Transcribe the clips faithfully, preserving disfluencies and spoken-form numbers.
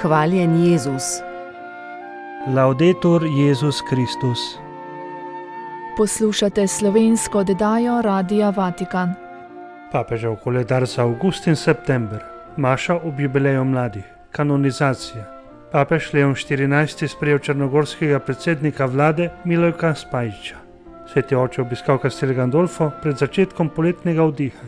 Hvaljen Jezus. Laudetur Jezus Kristus. Poslušate slovensko oddajo Radia Vatikan. Papežev koledar za avgust in september. Maša ob jubileju mladih. Kanonizacija. Papež Leon štirinajsti sprejel črnogorskega predsednika vlade Milojka Spajića. Sveti oče obiskal Castel Gandolfo pred začetkom poletnega vdiha.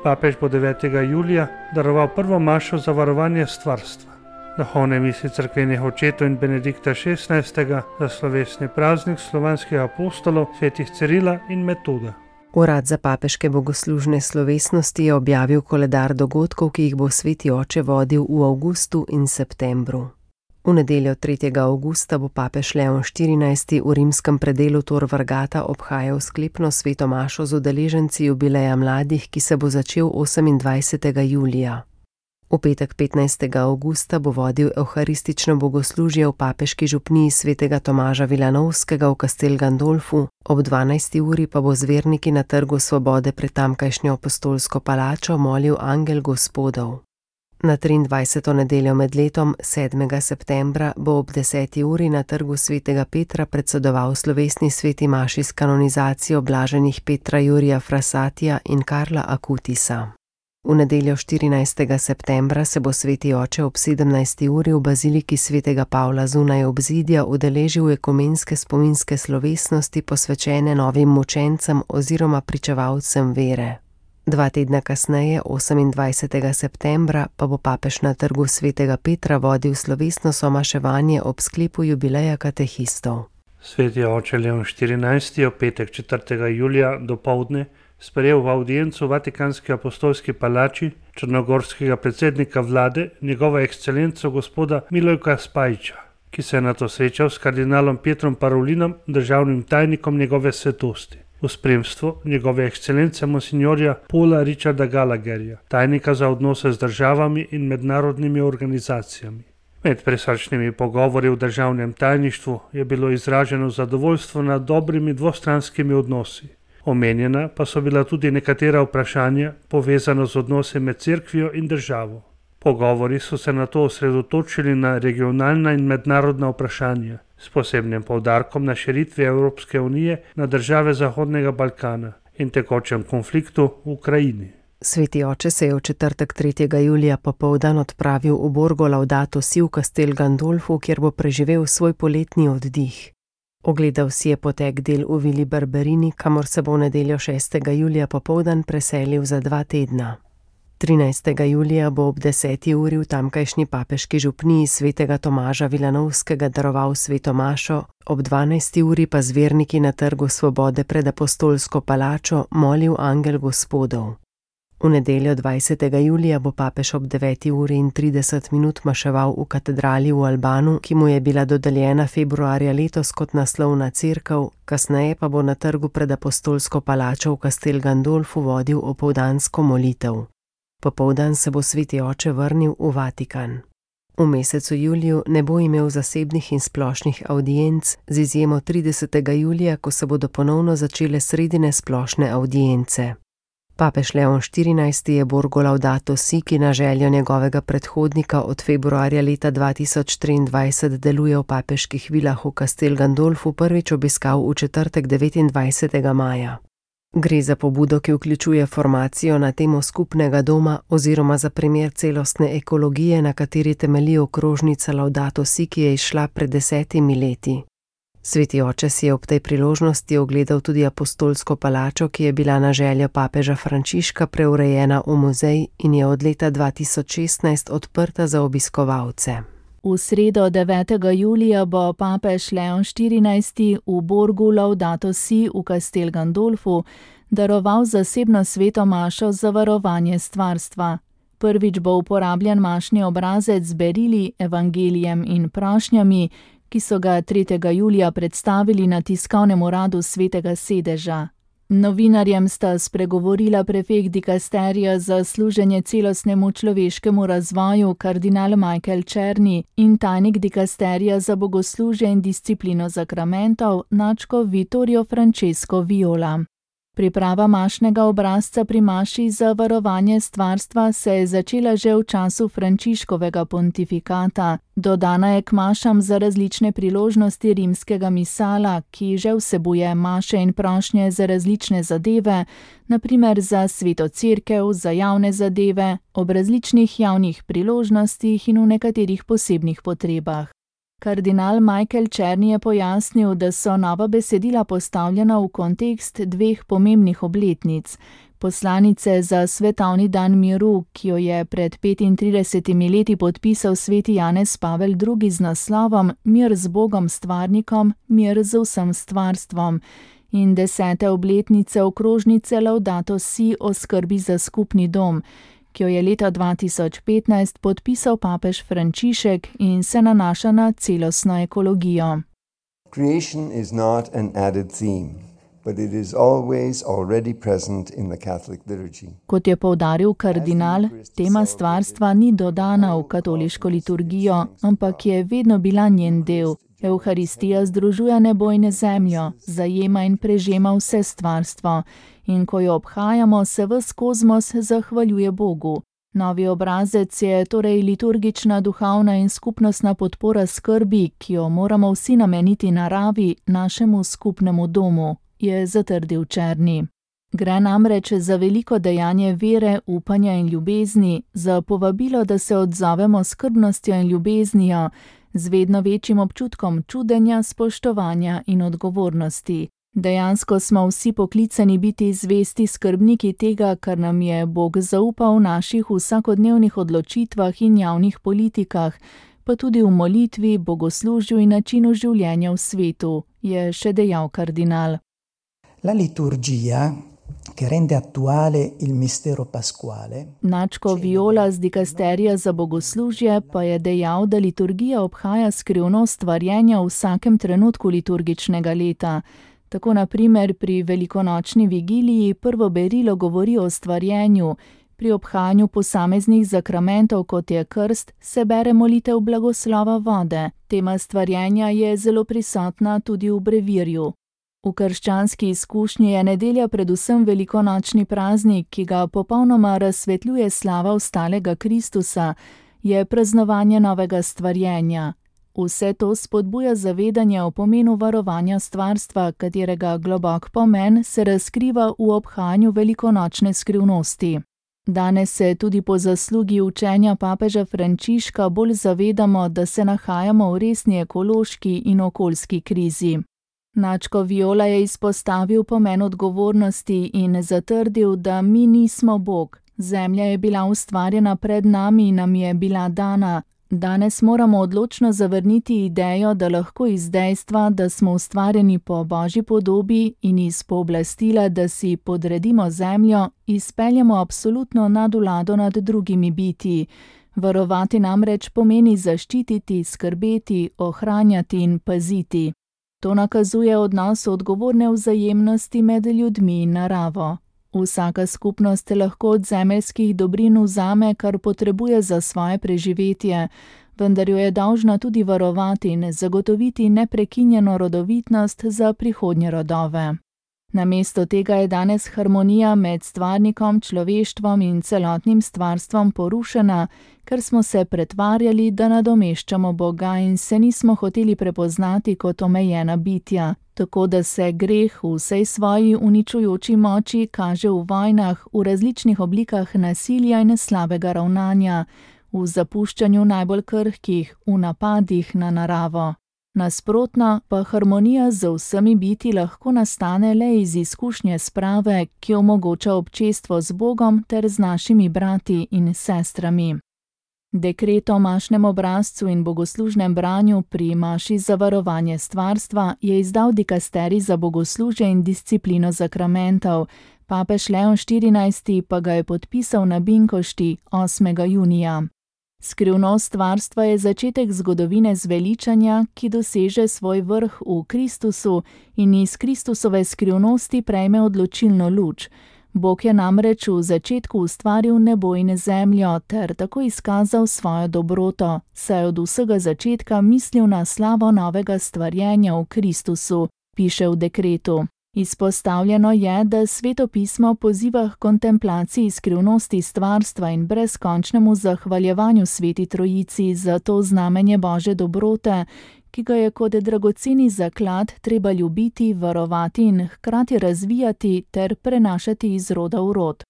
Papež bo devetega julija daroval prvo mašo za varovanje stvarstva. Duhovne misli cerkvenih očetov in Benedikta šestnajstega za slovesni praznik slovanskih apostolov svetih Cirila in Metoda. Urad za papeške bogoslužne slovesnosti je objavil koledar dogodkov, ki jih bo sveti oče vodil v avgustu in septembru. V nedeljo tretjega avgusta bo papež Leon štirinajsti v rimskem predelu Tor Vergata obhajal sklepno sveto mašo z udeleženci jubileja mladih, ki se bo začel osemindvajsetega julija. V petek petnajstega avgusta bo vodil evharistično bogoslužje v papeški župniji svetega Tomaža Vilanovskega v Castel Gandolfu, ob dvanajsti uri pa bo z verniki na Trgu Svobode pred tamkajšnjo apostolsko palačo molil angel Gospodov. Na triindvajseto nedeljo med letom, sedmega septembra, bo ob deseti uri na Trgu svetega Petra predsedoval slovesni sveti maši s kanonizacijo blaženih Petra Jurija Frassatija in Karla Akutisa. V nedeljo štirinajstega septembra se bo sveti oče ob sedemnajsti uri v baziliki svetega Pavla zunaj obzidja udeležil ekumenske spominske slovesnosti posvečene novim mučencem oziroma pričevalcem vere. Dva tedna kasneje, osemindvajsetega septembra, pa bo papež na Trgu svetega Petra vodil slovesno somaševanje ob sklepu jubileja katehistov. Sveti oče Leon štirinajsti je v petek četrtega julija dopoldne sprejel v avdiencu v Vatikanski apostolski palači črnogorskega predsednika vlade, njegova ekscelenco gospoda Milojka Spajića, ki se je nato srečal s kardinalom Pietrom Parolinom, državnim tajnikom njegove svetosti, v spremstvu njegove ekscelence monsignorja Paula Richarda Gallagherja, tajnika za odnose z državami in mednarodnimi organizacijami. Med presrčnimi pogovori v državnem tajništvu je bilo izraženo zadovoljstvo nad dobrimi dvostranskimi odnosi. Omenjena pa so bila tudi nekatera vprašanja povezana z odnosi med cerkvijo in državo. Pogovori so se nato osredotočili na regionalna in mednarodna vprašanja, s posebnim poudarkom na širitvi Evropske unije na države Zahodnega Balkana in tekočem konfliktu v Ukrajini. Sveti oče se je v četrtek tretjega julija popoldan odpravil v Borgo Laudato Si v Castel Gandolfu, kjer bo preživel svoj poletni oddih. Ogledal si je potek del v Vili Barberini, kamor se bo v nedeljo šestega julija popoldan preselil za dva tedna. trinajstega julija bo ob deseti uri v tamkajšnji papeški župniji svetega Tomaža Vilanovskega daroval sveto mašo, ob dvanajsti uri pa z verniki na Trgu Svobode pred apostolsko palačo molil angel Gospodov. V nedeljo dvajsetega julija bo papež ob deveti uri in trideset minut maševal v katedrali v Albanu, ki mu je bila dodeljena februarja letos kot naslovna cerkev, kasneje pa bo na trgu pred apostolsko palačo v Castel Gandolfu vodil opoldansko molitev. Popoldan se bo sveti oče vrnil v Vatikan. V mesecu juliju ne bo imel zasebnih in splošnih avdienc, z izjemo tridesetega julija, ko se bodo ponovno začele sredine splošne avdience. Papež Leon štirinajsti je Borgo Laudato Si, ki na željo njegovega predhodnika od februarja leta dva tisoč triindvajset deluje v papeških vilah v Castel Gandolfu, prvič obiskal v četrtek devetindvajsetega maja. Gre za pobudo, ki vključuje formacijo na temo skupnega doma oziroma za primer celostne ekologije, na kateri temelji okrožnica Laudato Si, ki je izšla pred desetimi leti. Sveti oče si je ob tej priložnosti ogledal tudi apostolsko palačo, ki je bila na željo papeža Frančiška preurejena v muzej in je od leta dva tisoč šestnajst odprta za obiskovalce. V sredo devetega julija bo papež Leon štirinajsti v Borgu Laudato Si v Castel Gandolfu daroval zasebno sveto mašo za varovanje stvarstva. Prvič bo uporabljen mašni obrazec z berili, evangelijem in prošnjami, ki so ga tretjega julija predstavili na tiskovnem uradu svetega sedeža. Novinarjem sta spregovorila prefekt dikasterija za služenje celostnemu človeškemu razvoju kardinal Michael Černi in tajnik dikasterija za bogoslužje in disciplino zakramentov nadškof Vittorio Francesco Viola. Priprava mašnega obrazca pri maši za varovanje stvarstva se je začela že v času Frančiškovega pontifikata. Dodana je k mašam za različne priložnosti rimskega misala, ki že vsebuje maše in prošnje za različne zadeve, na primer za sveto cerkev, za javne zadeve, ob različnih javnih priložnostih in v nekaterih posebnih potrebah. Kardinal Michael Černi je pojasnil, da so nova besedila postavljena v kontekst dveh pomembnih obletnic. Poslanice za svetovni dan miru, ki jo je pred petintridesetimi leti podpisal sveti Janez Pavel drugi z naslovom Mir z Bogom stvarnikom, mir z vsem stvarstvom, in desete obletnice okrožnice Laudato si o skrbi za skupni dom, ki jo je leta dva tisoč petnajst podpisal papež Frančišek in se nanaša na celostno ekologijo. Creation is not an added theme, but it is always already present in the Catholic liturgy. Kot je poudaril kardinal, tema stvarstva ni dodana v katoliško liturgijo, ampak je vedno bila njen del. Evharistija združuje nebo in zemljo, zajema in prežema vse stvarstvo, in ko jo obhajamo, se ves kozmos zahvaljuje Bogu. Novi obrazec je torej liturgična, duhovna in skupnostna podpora skrbi, ki jo moramo vsi nameniti naravi, našemu skupnemu domu, je zatrdil Černi. Gre namreč za veliko dejanje vere, upanja in ljubezni, za povabilo, da se odzovemo s skrbnostjo in ljubeznijo, z vedno večjim občutkom čudenja, spoštovanja in odgovornosti. Dejansko smo vsi poklicani biti zvesti skrbniki tega, kar nam je Bog zaupal v naših vsakodnevnih odločitvah in javnih politikah, pa tudi v molitvi, bogoslužju in načinu življenja v svetu, je še dejal kardinal. La liturgia, che rende attuale il mistero pasquale. Načko Viola z dikasterija za bogoslužje pa je dejal, da liturgija obhaja skrivnost stvarjenja v vsakem trenutku liturgičnega leta. Tako na primer pri velikonočni vigiliji prvo berilo govori o stvarjenju, pri obhajanju posameznih zakramentov, kot je krst, se bere molitev blagoslova vode. Tema stvarjenja je zelo prisotna tudi v brevirju. V krščanski izkušnji je nedelja predvsem velikonočni praznik, ki ga popolnoma razsvetljuje slava vstalega Kristusa, je praznovanje novega stvarjenja. Vse to spodbuja zavedanje o pomenu varovanja stvarstva, katerega globok pomen se razkriva v obhajanju velikonočne skrivnosti. Danes se tudi po zaslugi učenja papeža Frančiška bolj zavedamo, da se nahajamo v resni ekološki in okoljski krizi. Načko Viola je izpostavil pomen odgovornosti in zatrdil, da mi nismo Bog. Zemlja je bila ustvarjena pred nami in nam je bila dana. Danes moramo odločno zavrniti idejo, da lahko iz dejstva, da smo ustvarjeni po Božji podobi in iz pooblastila, da si podredimo zemljo, izpeljemo absolutno nadvlado nad drugimi bitji. Varovati namreč pomeni zaščititi, skrbeti, ohranjati in paziti. To nakazuje odnos odgovorne vzajemnosti med ljudmi in naravo. Vsaka skupnost lahko od zemeljskih dobrin vzame, kar potrebuje za svoje preživetje, vendar jo je dolžna tudi varovati in zagotoviti neprekinjeno rodovitnost za prihodnje rodove. Namesto tega je danes harmonija med stvarnikom, človeštvom in celotnim stvarstvom porušena, ker smo se pretvarjali, da nadomeščamo Boga in se nismo hoteli prepoznati kot omejena bitja, tako da se greh v vsej svoji uničujoči moči kaže v vojnah, v različnih oblikah nasilja in slabega ravnanja, v zapuščanju najbolj krhkih, v napadih na naravo. Nasprotno pa harmonija z vsemi bitji lahko nastane le iz izkušnje sprave, ki omogoča občestvo z Bogom ter z našimi brati in sestrami. Dekret o mašnem obrazcu in bogoslužnem branju pri maši za varovanje stvarstva je izdal dikasterij za bogoslužje in disciplino zakramentov, papež Leon štirinajsti pa ga je podpisal na Binkošti osmega junija. Skrivnost stvarstva je začetek zgodovine zveličanja, ki doseže svoj vrh v Kristusu in iz Kristusove skrivnosti prejme odločilno luč. Bog je namreč v začetku ustvaril nebo in zemljo ter tako izkazal svojo dobroto, saj od vsega začetka mislil na slavo novega stvarjenja v Kristusu, piše v dekretu. Izpostavljeno je, da Sveto pismo poziva k kontemplaciji skrivnosti stvarstva in brezkončnemu zahvaljevanju Sveti Trojici za to znamenje Božje dobrote, ki ga je kot dragoceni zaklad treba ljubiti, varovati in hkrati razvijati ter prenašati iz roda v rod.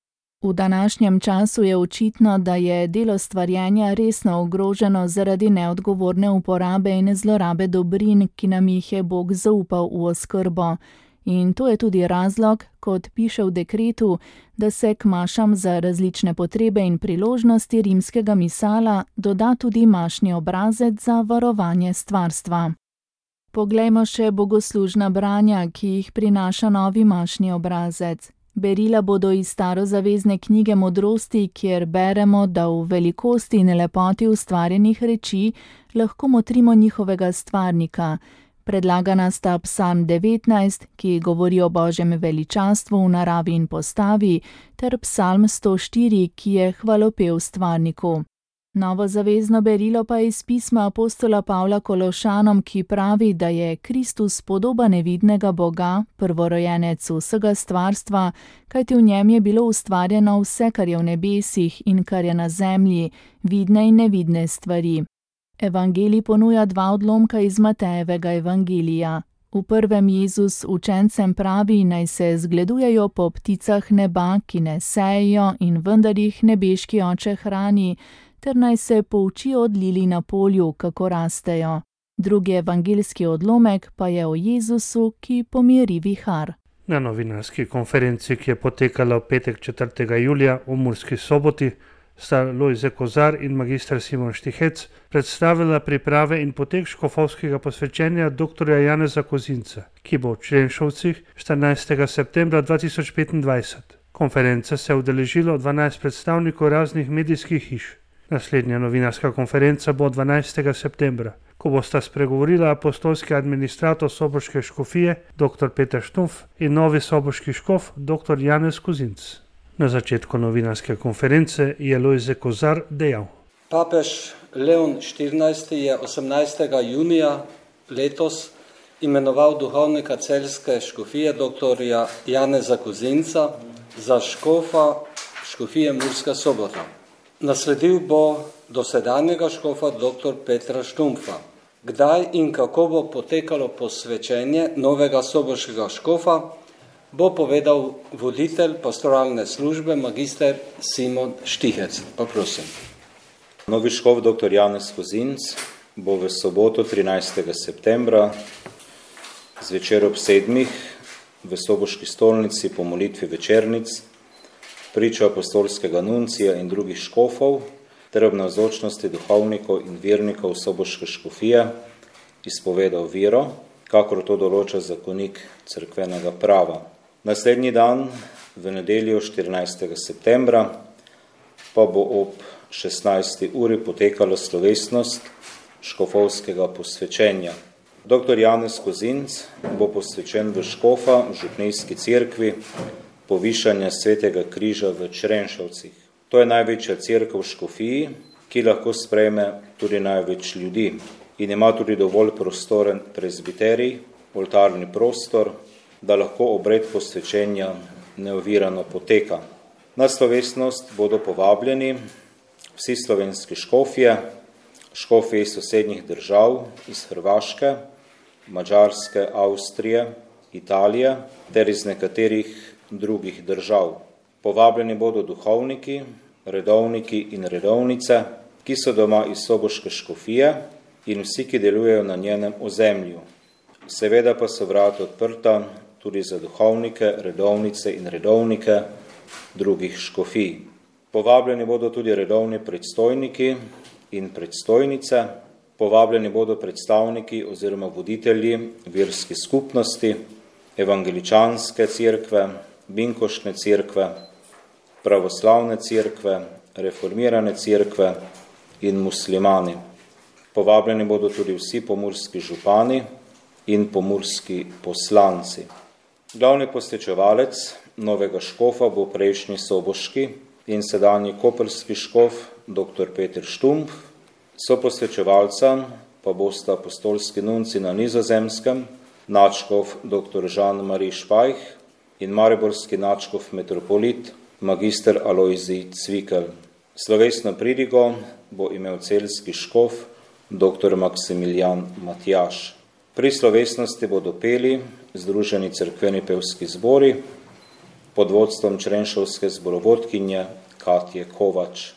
V današnjem času je očitno, da je delo stvarjenja resno ogroženo zaradi neodgovorne uporabe in zlorabe dobrin, ki nam jih je Bog zaupal v oskrbo. In to je tudi razlog, kot piše v dekretu, da se k mašam za različne potrebe in priložnosti rimskega misala doda tudi mašni obrazec za varovanje stvarstva. Poglejmo še bogoslužna branja, ki jih prinaša novi mašni obrazec. Berila bodo iz starozavezne knjige Modrosti, kjer beremo, da v velikosti in lepoti ustvarjenih reči lahko motrimo njihovega stvarnika. Predlagana sta psalm devetnajst, ki govori o Božjem veličastvu v naravi in postavi, ter psalm sto štiri, ki je hvalopev stvarniku. Novozavezno berilo pa je iz pisma apostola Pavla Kološanom, ki pravi, da je Kristus podoba nevidnega Boga, prvorojenec vsega stvarstva, kajti v njem je bilo ustvarjeno vse, kar je v nebesih in kar je na zemlji, vidne in nevidne stvari. Evangelij ponuja dva odlomka iz Matejevega evangelija. V prvem Jezus učencem pravi, naj se zgledujejo po pticah neba, ki ne sejejo in vendar jih nebeški oče hrani, ter naj se poučijo od lilij na polju, kako rastejo. Drugi evangeljski odlomek pa je o Jezusu, ki pomiri vihar. Na novinarski konferenci, ki je potekala v petek četrtega julija v Murski Soboti, sta Lojze Kozar in magister Simon Štihec predstavila priprave in potek škofovskega posvečenja doktorja Janeza Kozinca, ki bo v Črenšovcih štirinajstega septembra dva tisoč petindvajset. Konference se je udeležilo dvanajst predstavnikov raznih medijskih hiš. Naslednja novinarska konferenca bo dvanajstega septembra, ko bosta spregovorila apostolski administrator soboške škofije dr. Peter Štumpf in novi soboški škof dr. Janez Kozinc. Na začetku novinarske konference je Lojze Kozar dejal: Papež Leon štirinajsti je osemnajstega junija letos imenoval duhovnika celjske škofije dr. Janeza Kozinca za škofa škofije Murska Sobota. Nasledil bo dosedanjega škofa dr. Petra Štumpfa. Kdaj in kako bo potekalo posvečenje novega soboškega škofa, bo povedal voditelj pastoralne službe magister Simon Štihec. Pa prosim. Novi škof dr. Janez Kozinc bo v soboto trinajstega septembra zvečer ob sedmih v soboški stolnici po molitvi večernic pričo apostolskega nuncija in drugih škofov ter ob navzočnosti duhovnikov in vernikov soboške škofije izpovedal vero, kakor to določa zakonik cerkvenega prava. Naslednji dan, v nedeljo štirinajstega septembra, pa bo ob šestnajsti uri potekala slovesnost škofovskega posvečenja. dr. Janez Kozinc bo posvečen v škofa v župnijski cerkvi povišanja Svetega križa v Črenšovcih. To je največja cerkev v škofiji, ki lahko sprejme tudi največ ljudi in ima tudi dovolj prostoren prezbiterij, oltarni prostor, da lahko obred posvečenja neovirano poteka. Na slovesnost bodo povabljeni vsi slovenski škofje, škofje iz sosednjih držav, iz Hrvaške, Madžarske, Avstrije, Italije ter iz nekaterih drugih držav. Povabljeni bodo duhovniki, redovniki in redovnice, ki so doma iz soboške škofije in vsi, ki delujejo na njenem ozemlju. Seveda pa so vrata odprta tudi za duhovnike, redovnice in redovnike drugih škofij. Povabljeni bodo tudi redovni predstojniki in predstojnice, povabljeni bodo predstavniki oziroma voditelji verskih skupnosti, evangeličanske cerkve, binkošne cerkve, pravoslavne cerkve, reformirane cerkve in muslimani. Povabljeni bodo tudi vsi pomurski župani in pomurski poslanci. Glavni posvečevalec novega škofa bo prejšnji soboški in sedanji koprski škof dr. Peter Štumpf, soposvečevalca pa bosta apostolski nunci na Nizozemskem nadškof doktor Jean-Marie Špajh in mariborski nadškof metropolit magister Alojzij Cvikl. Slovesno pridigo bo imel celjski škof doktor Maksimilijan Matjaž. Pri slovesnosti bodo peli Združeni cerkveni pevski zbori pod vodstvom črenšovske zborovodkinje Katje Kovač.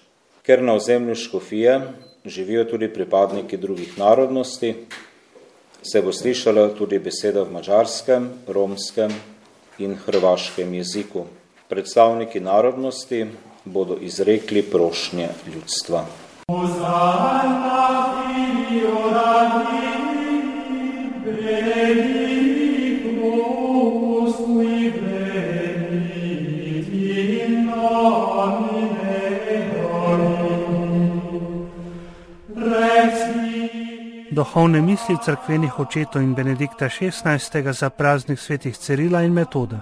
Ker na ozemlju škofije živijo tudi pripadniki drugih narodnosti, se bo slišala tudi beseda v madžarskem, romskem in hrvaškem jeziku. Predstavniki narodnosti bodo izrekli prošnje ljudstva. Duhovne misli cerkvenih očetov in Benedikta šestnajstega za praznik svetih Cirila in Metoda.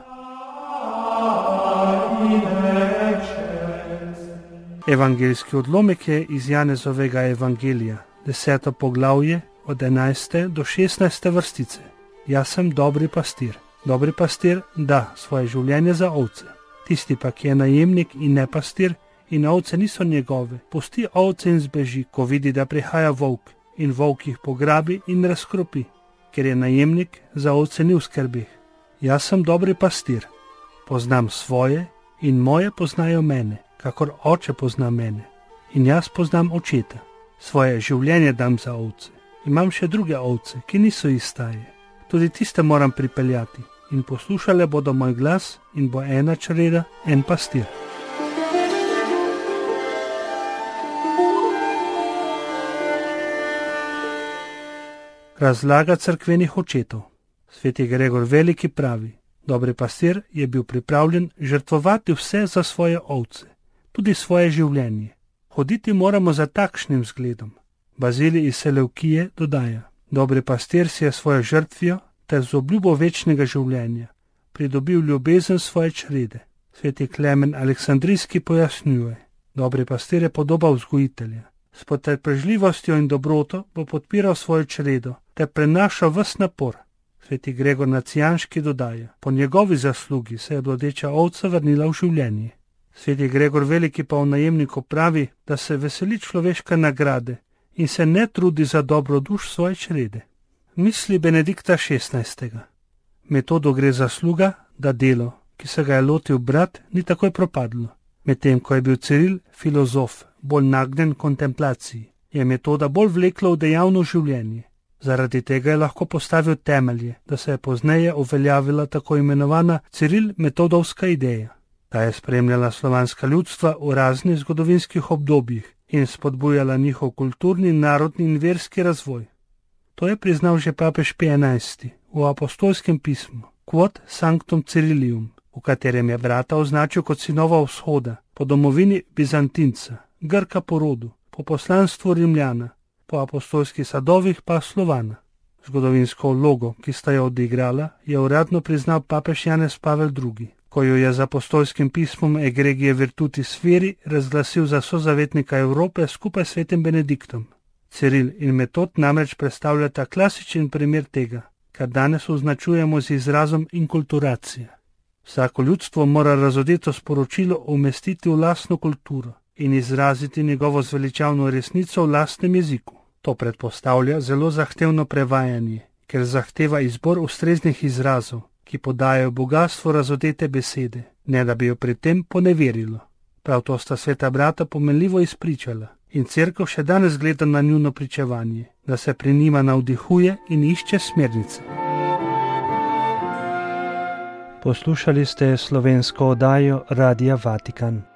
Evangeljski odlomek je iz Janezovega evangelija, deseto poglavje od enajste do šestnajste vrstice. Jaz sem dobri pastir. Dobri pastir da svoje življenje za ovce. Tisti pa, ki je najemnik in ne pastir in ovce niso njegove, pusti ovce in zbeži, ko vidi, da prihaja volk, in volk jih pograbi in razkropi, ker je najemnik za ovce ni v skrbeh. Jaz sem dobri pastir, poznam svoje in moje poznajo mene, kakor oče pozna mene, in jaz poznam očeta. Svoje življenje dam za ovce. Imam še druge ovce, ki niso iz staje. Tudi tiste moram pripeljati in poslušale bodo moj glas in bo ena čreda, en pastir. Razlaga cerkvenih očetov. Sveti Gregor Veliki pravi, dobri pastir je bil pripravljen žrtvovati vse za svoje ovce, tudi svoje življenje. Hoditi moramo za takšnim zgledom. Bazilij iz Seleukije dodaja, dobri pastir si je svojo žrtvijo ter z obljubo večnega življenja pridobil ljubezen svoje črede. Sveti Klemen Aleksandrijski pojasnjuje, dobri pastir je podoba vzgojitelja. S potrpežljivostjo in dobroto bo podpiral svojo čredo ter prenašal ves napor. Sveti Gregor Nacijanški dodaja, po njegovi zaslugi se je blodeča ovca vrnila v življenje. Sveti Gregor Veliki pa v najemniku pravi, da se veseli človeške nagrade in se ne trudi za dobro duš svoje črede. Misli Benedikta šestnajstega. Metodo gre zasluga, da delo, ki se ga je lotil brat, ni takoj propadlo. Medtem ko je bil Ciril filozof, bolj nagnjen kontemplaciji, je Metoda bolj vleklo v dejavno življenje. Zaradi tega je lahko postavil temelje, da se je pozneje uveljavila tako imenovana Ciril-metodovska ideja. Ta je spremljala slovanska ljudstva v raznih zgodovinskih obdobjih in spodbujala njihov kulturni, narodni in verski razvoj. To je priznal že papež Pij enajsti v apostolskem pismu Quod Sanctum Cirilium, v katerem je brata označil kot sinova vzhoda, po domovini Bizantinca, Grka po rodu, po poslanstvu Rimljana, po apostolskih sadovih pa Slovana. Zgodovinsko vlogo, ki sta jo odigrala, je uradno priznal papež Janez Pavel drugi, ko jo je z apostolskim pismom Egregije Virtutis Firi razglasil za sozavetnika Evrope skupaj s svetim Benediktom. Ciril in Metod namreč predstavljata klasičen primer tega, kar danes označujemo z izrazom inkulturacija. Vsako ljudstvo mora razodeto sporočilo umestiti v lastno kulturo in izraziti njegovo zveličavno resnico v lastnem jeziku. To predpostavlja zelo zahtevno prevajanje, ker zahteva izbor ustreznih izrazov, ki podajajo bogastvo razodete besede, ne da bi jo pri tem poneverilo. Prav to sta sveta brata pomenljivo izpričala in cerkev še danes gleda na njuno pričevanje, da se pri njima navdihuje in išče smernice. Poslušali ste slovensko oddajo Radia Vatikan.